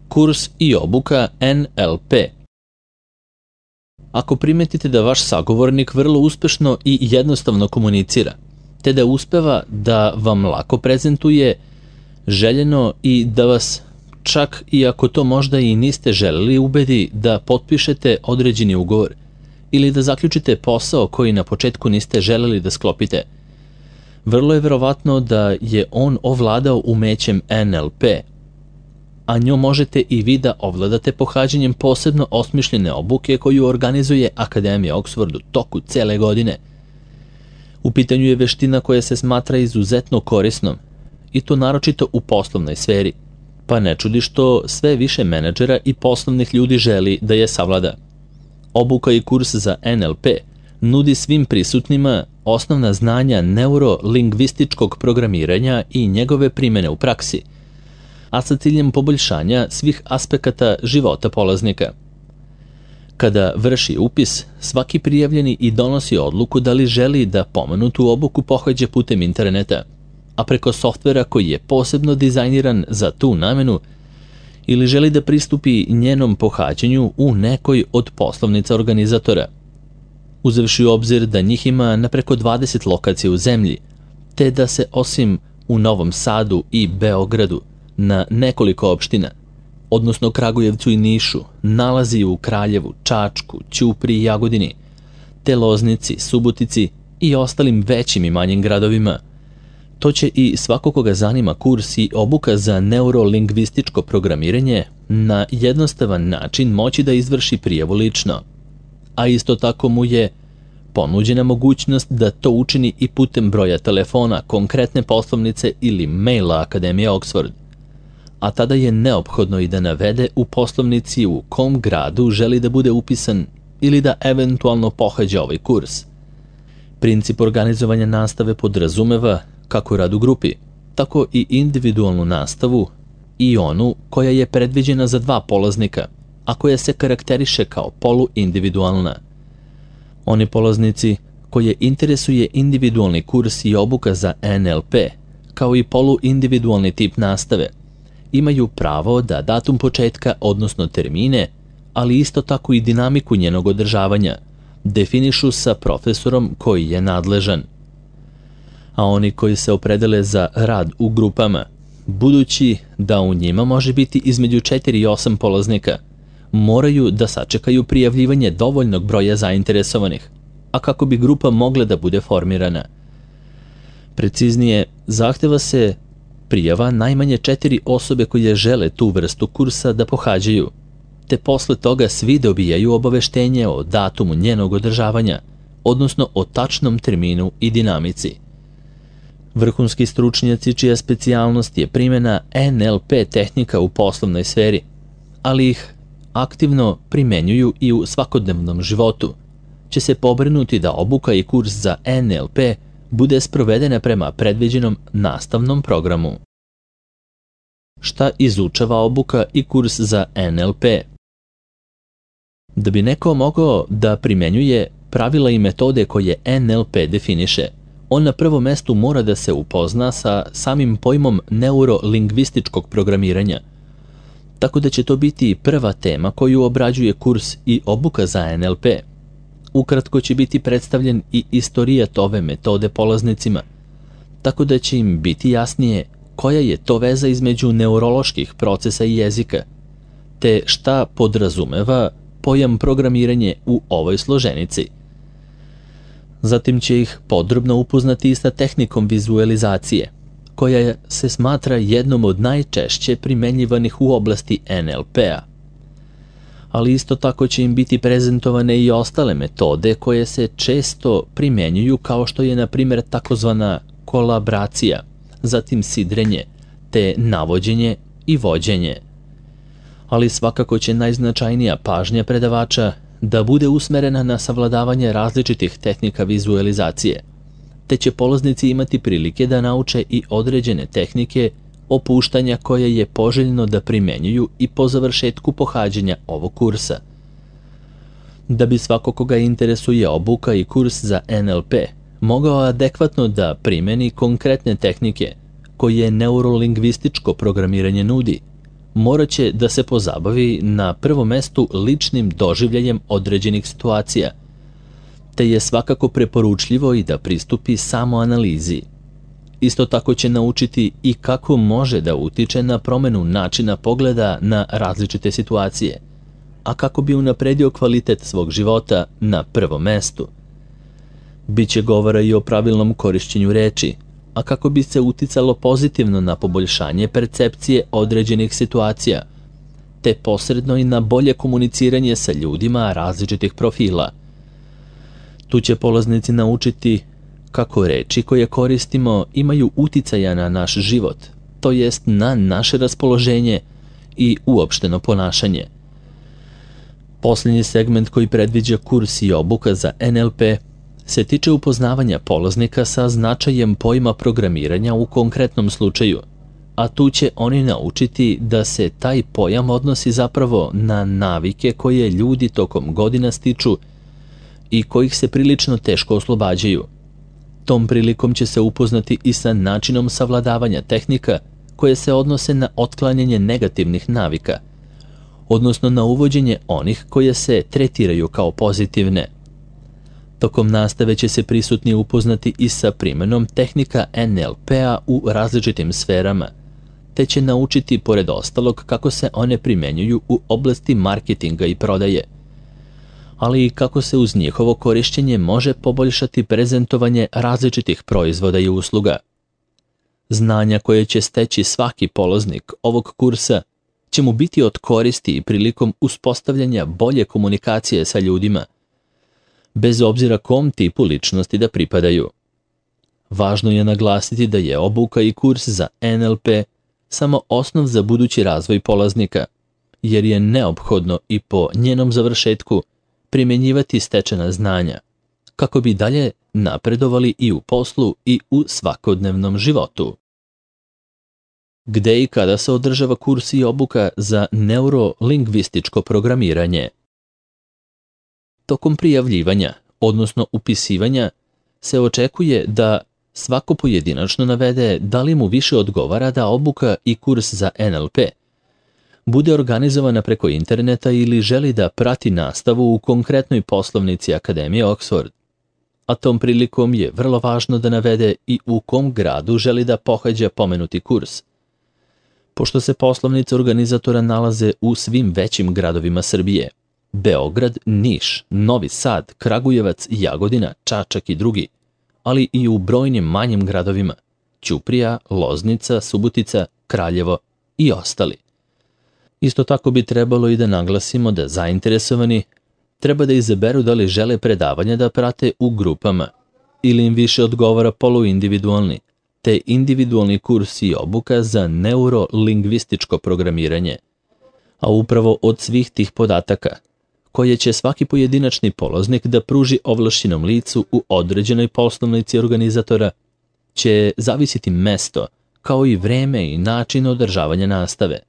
Kurs i obuka NLP. Ako primetite da vaš sagovornik vrlo uspešno i jednostavno komunicira, te da uspeva da vam lako prezentuje željeno i da vas, čak i ako to možda i niste želeli, ubedi da potpišete određeni ugovor ili da zaključite posao koji na početku niste želeli da sklopite, vrlo je verovatno da je on ovladao umećem NLP, a njom možete i vi da ovladate pohađanjem posebno osmišljene obuke koju organizuje Akademija Oxford u toku cele godine. U pitanju je veština koja se smatra izuzetno korisnom, i to naročito u poslovnoj sferi, pa ne čudi što sve više menadžera i poslovnih ljudi želi da je savlada. Obuka i kurs za NLP nudi svim prisutnima osnovna znanja neurolingvističkog programiranja i njegove primene u praksi, a sa ciljem poboljšanja svih aspekata života polaznika. Kada vrši upis, svaki prijavljeni i donosi odluku da li želi da pomenutu obuku pohađa putem interneta, a preko softvera koji je posebno dizajniran za tu namenu, ili želi da pristupi njenom pohađanju u nekoj od poslovnica organizatora. Uzevši u obzir da njih ima na preko 20 lokacija u zemlji, te da se osim u Novom Sadu i Beogradu na nekoliko opština, odnosno Kragujevcu i Nišu, nalazi u Kraljevu, Čačku, Ćupriji i Jagodini, te Loznici, Subotici i ostalim većim i manjim gradovima, to će i svako koga zanima kurs i obuka za neurolingvističko programiranje na jednostavan način moći da izvrši prijavu lično, a isto tako mu je ponuđena mogućnost da to učini i putem broja telefona, konkretne poslovnice ili maila Akademije Oxford, a tada je neophodno i da navede u poslovnici u kom gradu želi da bude upisan ili da eventualno pohađa ovaj kurs. Princip organizovanja nastave podrazumeva kako rad u grupi, tako i individualnu nastavu i onu koja je predviđena za 2 polaznika, a koja se karakteriše kao poluindividualna. Oni polaznici koje interesuje individualni kurs i obuka za NLP, kao i poluindividualni tip nastave, imaju pravo da datum početka, odnosno termine, ali isto tako i dinamiku njenog održavanja, definišu sa profesorom koji je nadležan. A oni koji se opredele za rad u grupama, budući da u njima može biti između 4 i 8 polaznika, moraju da sačekaju prijavljivanje dovoljnog broja zainteresovanih, a kako bi grupa mogla da bude formirana. Preciznije, zahteva se prijava najmanje 4 osobe koje žele tu vrstu kursa da pohađaju, te posle toga svi dobijaju obaveštenje o datumu njenog održavanja, odnosno o tačnom terminu i dinamici. Vrhunski stručnjaci čija specijalnost je primjena NLP tehnika u poslovnoj sferi, ali ih aktivno primenjuju i u svakodnevnom životu, će se pobrinuti da obuka i kurs za NLP bude sprovedena prema predviđenom nastavnom programu. Šta izučava obuka i kurs za NLP? Da bi neko mogao da primenjuje pravila i metode koje NLP definiše, on na prvom mestu mora da se upozna sa samim pojmom neurolingvističkog programiranja, tako da će to biti prva tema koju obrađuje kurs i obuka za NLP. Ukratko će biti predstavljen i istorijat ove metode polaznicima, tako da će im biti jasnije koja je to veza između neuroloških procesa i jezika, te šta podrazumeva pojam programiranje u ovoj složenici. Zatim će ih podrobno upoznati i sa tehnikom vizualizacije, koja se smatra jednom od najčešće primenjivanih u oblasti NLP-a. Ali isto tako će im biti prezentovane i ostale metode koje se često primenjuju, kao što je na primjer takozvana kolaboracija, zatim sidrenje, te navođenje i vođenje. Ali svakako će najznačajnija pažnja predavača da bude usmerena na savladavanje različitih tehnika vizualizacije, te će polaznici imati prilike da nauče i određene tehnike opuštanja koje je poželjno da primenjuju i po završetku pohađanja ovog kursa. Da bi svako koga interesuje obuka i kurs za NLP mogao adekvatno da primeni konkretne tehnike koje neurolingvističko programiranje nudi, morat će da se pozabavi na prvom mestu ličnim doživljajem određenih situacija, te je svakako preporučljivo i da pristupi samoanalizi. Isto tako će naučiti i kako može da utiče na promenu načina pogleda na različite situacije, a kako bi unapredio kvalitet svog života na prvom mestu. Biće govora i o pravilnom korišćenju reči, a kako bi se uticalo pozitivno na poboljšanje percepcije određenih situacija, te posredno i na bolje komuniciranje sa ljudima različitih profila. Tu će polaznici naučiti kako reči koje koristimo imaju uticaja na naš život, to jest na naše raspoloženje i uopšteno ponašanje. Posljednji segment koji predviđa kurs i obuka za NLP se tiče upoznavanja polaznika sa značajem pojma programiranja u konkretnom slučaju, a tu će oni naučiti da se taj pojam odnosi zapravo na navike koje ljudi tokom godina stiču i kojih se prilično teško oslobađaju. Tom prilikom će se upoznati i sa načinom savladavanja tehnika koje se odnose na otklanjanje negativnih navika, odnosno na uvođenje onih koje se tretiraju kao pozitivne. Tokom nastave će se prisutni upoznati i sa primenom tehnika NLP-a u različitim sferama, te će naučiti pored ostalog kako se one primenjuju u oblasti marketinga i prodaje, ali i kako se uz njihovo korišćenje može poboljšati prezentovanje različitih proizvoda i usluga. Znanja koje će steći svaki polaznik ovog kursa će mu biti od koristi i prilikom uspostavljanja bolje komunikacije sa ljudima, bez obzira kom tipu ličnosti da pripadaju. Važno je naglasiti da je obuka i kurs za NLP samo osnov za budući razvoj polaznika, jer je neophodno i po njenom završetku primjenjivati stečena znanja, kako bi dalje napredovali i u poslu i u svakodnevnom životu. Gde i kada se održava kurs i obuka za neurolingvističko programiranje? Tokom prijavljivanja, odnosno upisivanja, se očekuje da svako pojedinačno navede da li mu više odgovara da obuka i kurs za NLP bude organizovana preko interneta ili želi da prati nastavu u konkretnoj poslovnici Akademije Oxford. A tom prilikom je vrlo važno da navede i u kom gradu želi da pohađa pomenuti kurs. Pošto se poslovnice organizatora nalaze u svim većim gradovima Srbije, Beograd, Niš, Novi Sad, Kragujevac, Jagodina, Čačak i drugi, ali i u brojnim manjim gradovima, Ćuprija, Loznica, Subotica, Kraljevo i ostali. Isto tako bi trebalo i da naglasimo da zainteresovani treba da izaberu da li žele predavanja da prate u grupama ili im više odgovara poluindividualni, te individualni kurs i obuka za neurolingvističko programiranje. A upravo od svih tih podataka, koje će svaki pojedinačni polaznik da pruži ovlašćenom licu u određenoj poslovnici organizatora, će zavisiti mesto, kao i vreme i način održavanja nastave.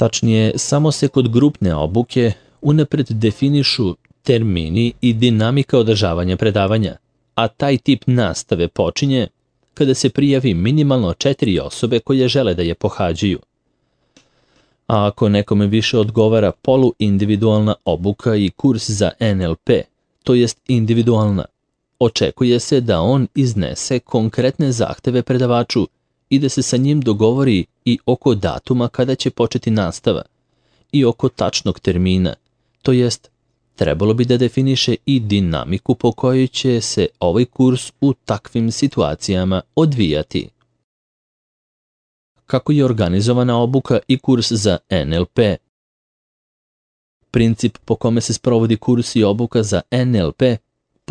Tačnije, samo se kod grupne obuke unapred definišu termini i dinamika održavanja predavanja, a taj tip nastave počinje kada se prijavi minimalno 4 osobe koje žele da je pohađaju. A ako nekome više odgovara poluindividualna obuka i kurs za NLP, to jest individualna, očekuje se da on iznese konkretne zahteve predavaču i da se sa njim dogovori i oko datuma kada će početi nastava i oko tačnog termina, to jest trebalo bi da definiše i dinamiku po kojoj će se ovaj kurs u takvim situacijama odvijati. Kako je organizovana obuka i kurs za NLP? Princip po kome se sprovodi kurs i obuka za NLP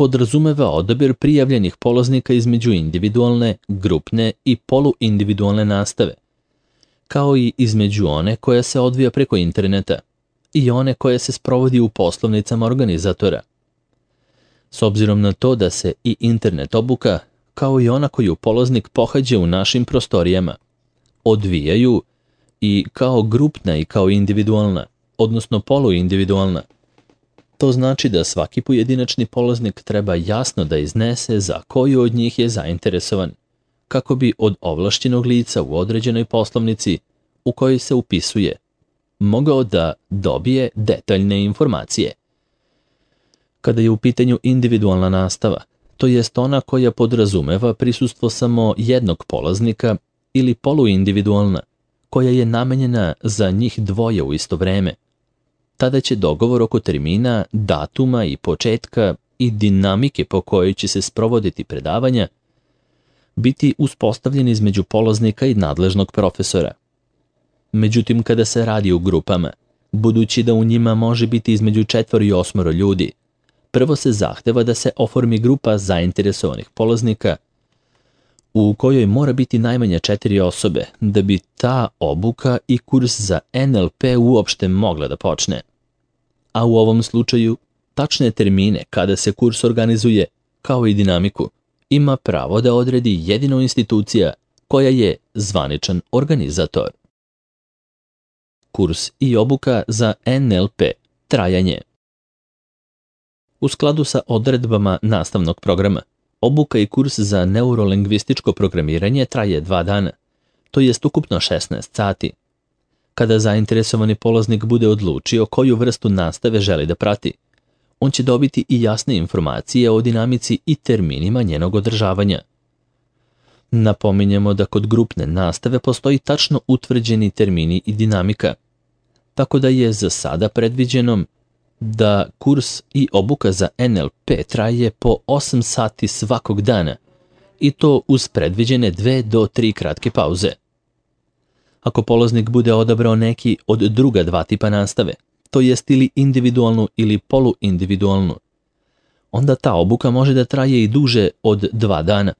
podrazumeva odabir prijavljenih polaznika između individualne, grupne i poluindividualne nastave, kao i između one koja se odvija preko interneta i one koja se sprovodi u poslovnicama organizatora. S obzirom na to da se i internet obuka, kao i ona koju polaznik pohađa u našim prostorijama, odvijaju i kao grupna i kao individualna, odnosno poluindividualna. To znači da svaki pojedinačni polaznik treba jasno da iznese za koju od njih je zainteresovan, kako bi od ovlašćenog lica u određenoj poslovnici u kojoj se upisuje mogao da dobije detaljne informacije. Kada je u pitanju individualna nastava, to jest ona koja podrazumeva prisustvo samo jednog polaznika, ili poluindividualna, koja je namenjena za njih dvoje u isto vreme, tada će dogovor oko termina, datuma i početka i dinamike po kojoj će se sprovoditi predavanja biti uspostavljen između polaznika i nadležnog profesora. Međutim, kada se radi u grupama, budući da u njima može biti između 4 i 8 ljudi, prvo se zahteva da se oformi grupa zainteresovanih polaznika u kojoj mora biti najmanje 4 osobe da bi ta obuka i kurs za NLP uopšte mogla da počne. A u ovom slučaju, tačne termine kada se kurs organizuje, kao i dinamiku, ima pravo da odredi jedino institucija koja je zvaničan organizator. Kurs i obuka za NLP. Trajanje. U skladu sa odredbama nastavnog programa, obuka i kurs za neurolingvističko programiranje traje 2 dana, to jest ukupno 16 sati. Kada zainteresovani polaznik bude odlučio koju vrstu nastave želi da prati, on će dobiti i jasne informacije o dinamici i terminima njenog održavanja. Napominjemo da kod grupne nastave postoji tačno utvrđeni termini i dinamika, tako da je za sada predviđeno da kurs i obuka za NLP traje po 8 sati svakog dana, i to uz predviđene 2 do 3 kratke pauze. Ako polaznik bude odabrao neki od druga 2 tipa nastave, to jest ili individualnu ili poluindividualnu, onda ta obuka može da traje i duže od 2 dana,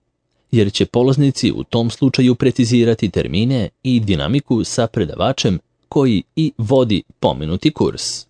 jer će polaznici u tom slučaju precizirati termine i dinamiku sa predavačem koji i vodi pomenuti kurs.